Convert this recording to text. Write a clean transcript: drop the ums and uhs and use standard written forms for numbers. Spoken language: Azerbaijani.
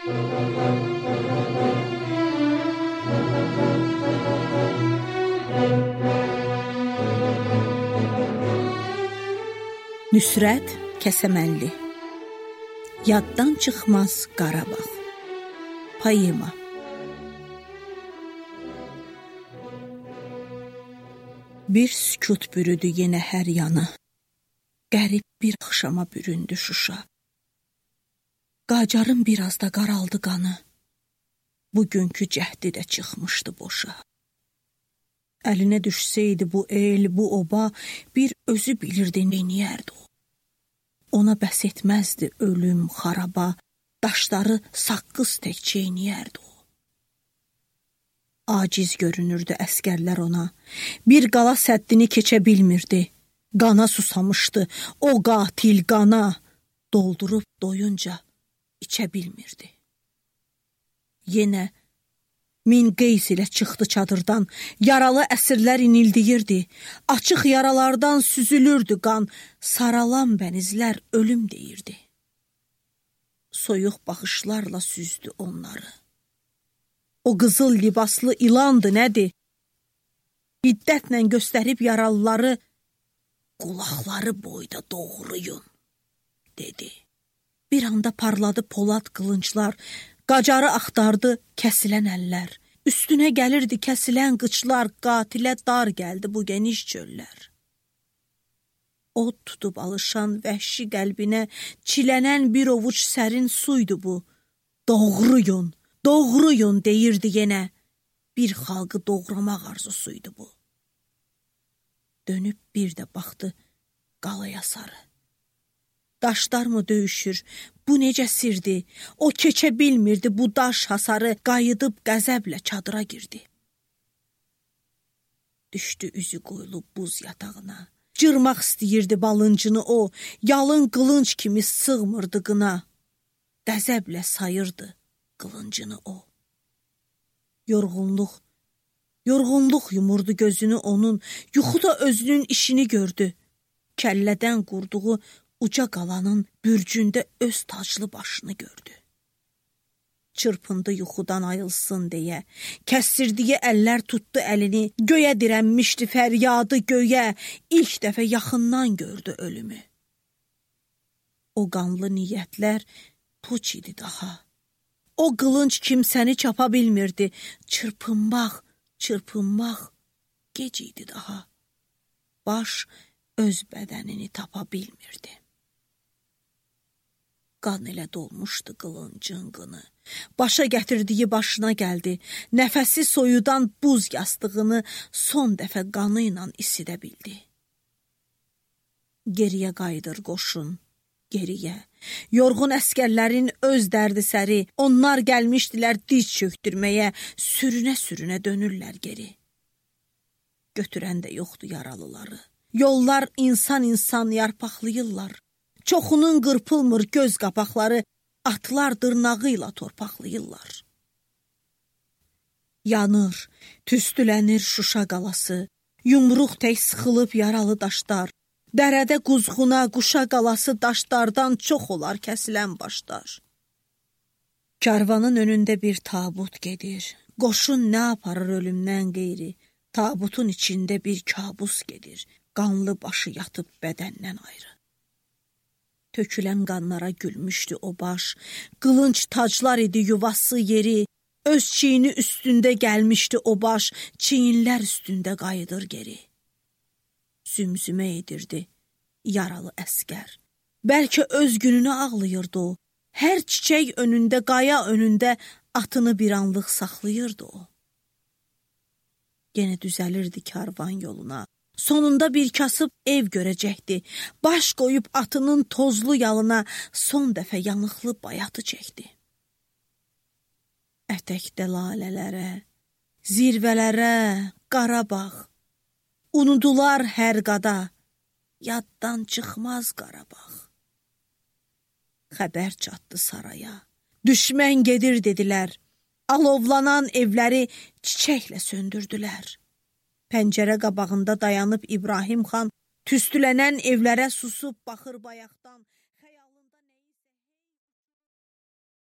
Nüsrət Kəsəmənli Yaddan çıxmaz Qarabağ Poema Bir sükut bürüdü yenə hər yanı, qərib bir axşama büründü Şuşa. Qacarın biraz da qaraldı qanı, bugünkü cəhdi də çıxmışdı boşa. Əlinə düşsəydi bu el, bu oba, bir özü bilirdi neyniyərdi o. Ona bəs etməzdi ölüm, xaraba, daşları saqqız tək çeyniyərdi o. Aciz görünürdü əskərlər ona, bir qala səddini keçə bilmirdi. Qana susamışdı, o qatil qana, doldurub doyunca içə bilmirdi. Yenə min qeys ilə çıxdı çadırdan, yaralı əsirlər inildiyirdi, açıq yaralardan süzülürdü qan, saralan bənizlər ölüm deyirdi. Soyuq baxışlarla süzdü onları. O qızıl libaslı ilandı nədir? Hiddətlə göstərib yaralıları, qulaqları boyda doğruyun, dedi. Bir anda parladı polad qılınclar, qacarı axtardı kəsilən əllər. Üstünə gəlirdi kəsilən qıçlar, qatilə dar gəldi bu geniş çöllər. Od tutub alışan vəhşi qəlbinə çilənən bir ovuc sərin suydu bu. Doğruyun, doğruyun deyirdi yenə. Bir xalqı doğramaq arzusuydu bu. Dönüb bir də baxdı qalaya sarı. Daşlar mı döyüşür, bu necə sirdi? O keçə bilmirdi bu daş hasarı, qayıdıb qəzəblə çadıra girdi. Düşdü üzü qoyulub buz yatağına. Cırmaq istəyirdi balıncını o, yalın qılınc kimi sığmırdı qına. Qəzəblə sayırdı qılıncını o. Yorğunluq yumurdu gözünü onun, yuxuda özünün işini gördü. Kəllədən qurduğu uca qalanın bürcündə öz taclı başını gördü. Çırpındı yuxudan ayılsın deyə, kəsdirdiyi əllər tutdu əlini, göyə dirənmişdi fəryadı göyə, ilk dəfə yaxından gördü ölümü. O qanlı niyyətlər puç idi daha. O qılınc kimsəni çapa bilmirdi, çırpınmaq gec idi daha. Baş öz bədənini tapa bilmirdi. Qan elə dolmuşdu qılıncın qını. Başa gətirdiyi başına gəldi. Nəfəsi soyudan buz yastığını son dəfə qanı ilə isidə bildi. Geriyə qayıdır qoşun, geriyə. Yorğun əskərlərin öz dərdi səri, onlar gəlmişdilər diz çöktürməyə, sürünə-sürünə dönürlər geri. Götürən də yoxdur yaralıları. Yollar insan yarpaqlayırlar. Çoxunun qırpılmır göz qapaqları, atlar dırnağı ilə torpaqlayırlar. Yanır, tüstülənir Şuşa qalası, yumruq tək sıxılıb yaralı daşlar, dərədə quzğuna, quşa qalası daşlardan çox olar kəsilən başlar. Karvanın önündə bir tabut gedir, qoşun nə aparır ölümdən qeyri, tabutun içində bir kabus gedir, qanlı başı yatıb bədəndən ayrı. Tökülən qanlara gülmüşdü o baş, qılınc taclar idi yuvası yeri, öz çiyini üstündə gəlmişdi o baş, çiyinlər üstündə qayıdır geri. Zümzümə edirdi yaralı əskər. Bəlkə öz gününü ağlayırdı o, hər çiçək önündə, qaya önündə atını bir anlıq saxlayırdı o. Yenə düzəlirdi karvan yoluna. Sonunda bir kasıb ev görəcəkdi. Baş qoyub atının tozlu yalına son dəfə yanıqlı bayatı çəkdi. Ətəkdə lalələrə, zirvələrə, Qarabağ. Unudular hər qada, yaddan çıxmaz Qarabağ. Xəbər çatdı saraya. Düşmən gedir dedilər. Alovlanan evləri çiçəklə söndürdülər. Pəncərə qabağında dayanıb İbrahim xan tüstülənən evlərə susub baxır bayaqdan.